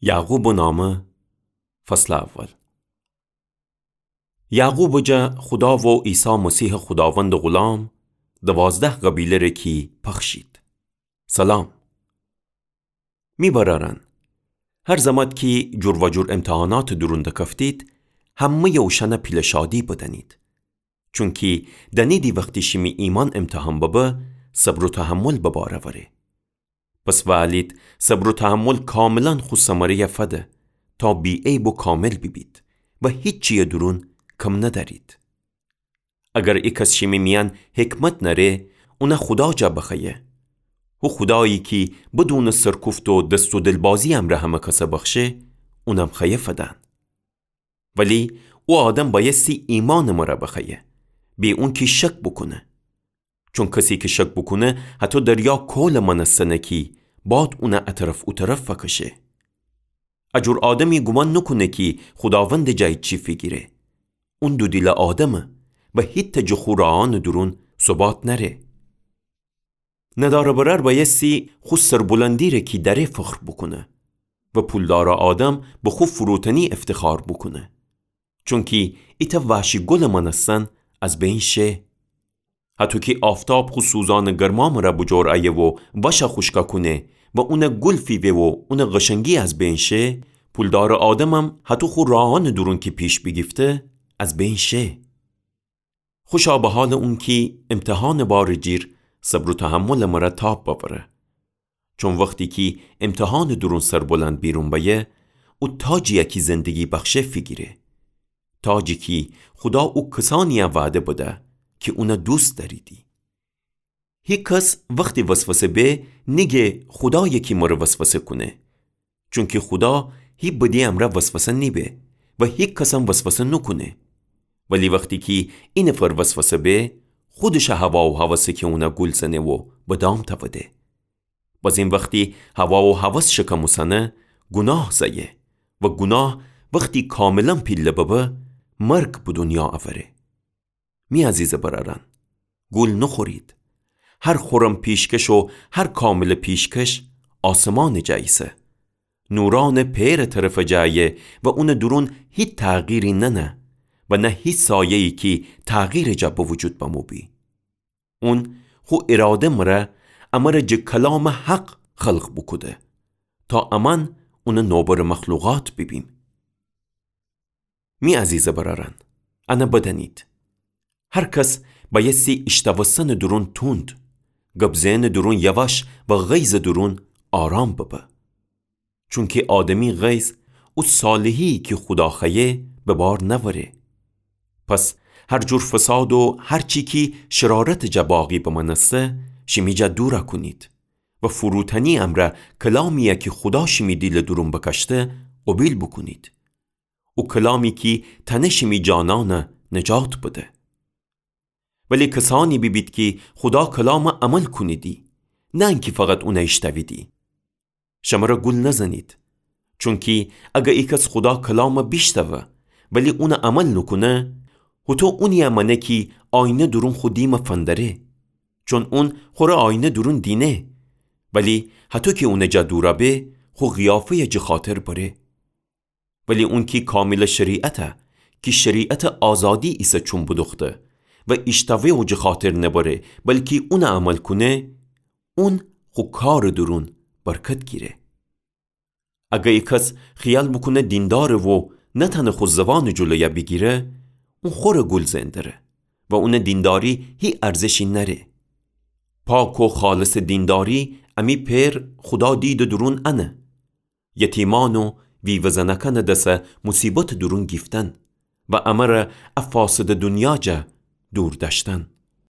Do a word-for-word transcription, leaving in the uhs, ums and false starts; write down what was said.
یعقوبٚ نامه، فصلٚ اول. یعقوبٚ جا خودا و عیسی مسیحٚ خوداوندٚ غلام، دوازده قبیله‌ره کی پخشید. سلام. می برأرأن، هر زمت کی جور و جور امتحاناتٚ دورون دکفتید، همه‌یٚ اوشأنه پیله شادی بدأنید. چونکی دأنیدی وختی شیمی ایمأن امتحان ببه، صبر و تحمل به بار اوره. پس وألید صبر و تحمل کاملاً خو ثمره‌یه فده، تا بی‌عیب و کامل بیبید و هیچی‌یٚ دورون کم ندأرید. اگر ایکس شیمی میأن حکمت نأره، اونه خودا جا بخوأیه. هو خودایی کی بدونٚ سرکوفت و دست و دلبازی امرأ همه کسه بخشه، اونم خوأیه فدن. ولی او آدم بأیستی ایمأنٚ مره بخوأیه، بی اونکی شک بوکونه. چون کسی کی شک بوکونه، هتو دریا کولٚ مأنستنه کی باد اونه ا طرف او طرف فکشه. ا جور آدمی گومان نوکونه کی خوداوندٚ جا ایچی فیگیره. اون دودیله آدمه و هیتأ جٚه خو راهأنٚ دورون ثبات نأره. ندارٚ برأر بأیستی خو سربلندی‌ره کی دأره فخر بوکونه و پولدارٚ آدم به خو فروتنی افتخار بوکونه. چونکی ایتأ وحشی گلٚ مأنستن از بین شه. هتو کی آفتاب خو سوزانٚ گرما مره بوجور ایه و وشه خوشکا کونه و اونه گل فیوه و اونٚ قشنگی از بین شه، پولدارٚ آدمم هتو خو راهأنٚ دورون کی پیش بیگیفته، از بین شه. خوشا به حالٚ اونکی امتحانٚ بارٚ جیر صبر و تحملٚ مره تاب بأوره. چون وختی کی امتحانٚ دورون سربلند بیرون بأیه، او تاجی‌یه کی زندگی بخشه فیگیره. تاجی کی خودا او کسانی‌یه وعده بده کی اونه دوست دأریدی. هیکس وختی وسوسه به نیگه خودایه کی مره وسوسه کونه. چونکی خودا هی بدی امرأ وسوسه نیبه و هیکسم وسوسه نوکونه. ولی وختی کی اینفر وسوسه به، خودشٚ هوا و هوسه کی اونه گول زنه و به دام تأوده. بازین وختی هوا و هوس شکم اوسنه، گوناه زأیه و گوناه وختی کاملاً پیله ببه، مرگ به دونیا اوره. می عزیزٚ برأرأن، گول نوخورید. هر خورم پیشکش و هر کاملٚ پیشکش آسمانٚ جا ایسه. نورأنٚ پئرٚ طرفٚ جا ایه و اونٚ دورون هیچ تغییری نأنه و نه هیچ سایه‌یی کی تغییرٚ جا به وجود بمو بی. اون خو اراده مره امره جٚه کلامٚ حق خلق بوکوده، تا امأن اونٚ نوبرٚ مخلوقات بیبیم. می عزیزٚ برأرأن، انه بدأنید. هر کس بأیستی ایشتوستنٚ دورون توند، گب زئنٚ دورون یواش و غیظٚ دورون آرام ببه. چونکی آدمی غیظ او صالحی کی خودا خوأیه به بار نأوره. پس هر جور فساد و هر چی کی شرارتٚ جا باقی بمأنسته، شیمی جا دورَ کونید و فروتنی امرأ کلامی‌یه کی خودا شیمی دیلٚ دورون بکشته، قوبیل بوکونید. او کلامی کی تأنه شیمی جانأنَ نجات بده. ولی کسأنی بیبید کی خودا کلامَ عمل کونیدی، نه انکی فقط اونَ ایشتأویدی. شمره گول نزنید. چونکی اگر ایکس خودا کلامَ بیشتأوه ولی اونَ عمل نوکونه، هوطو اونی‌یه مأنه کی آینه دورون خو دیمَ فندره. چون اون خوره آینه دورون دینه، ولی هطو کی اونٚ جا دورَ به، خو قیافه‌یَ جٚه خاطر بره. ولی اونکی کاملٚ شریعتَ، کی شریعتٚ آزادی ایسه چوم بدوخته و ایشتأوه و جٚه خاطر نبره، بلکی اونَ عمل کونه، اون خو کارٚ دورون برکت گیره. اگر ایکس خیال بوکونه دینداره و نتأنه خو زوانٚ جلویَ بیگیره، اون خوره گول زئن دره و اونٚ دینداری هی ارزشی نأره. پاک و خالصٚ دینداری امی پئر خودا دیدٚ دورون انه. یتیمأن و ویوه زنأکأنٚ دسَ موصیبتٚ دورون گیفتن و امره ا فاسدٚ دونیا جا دور دأشتن.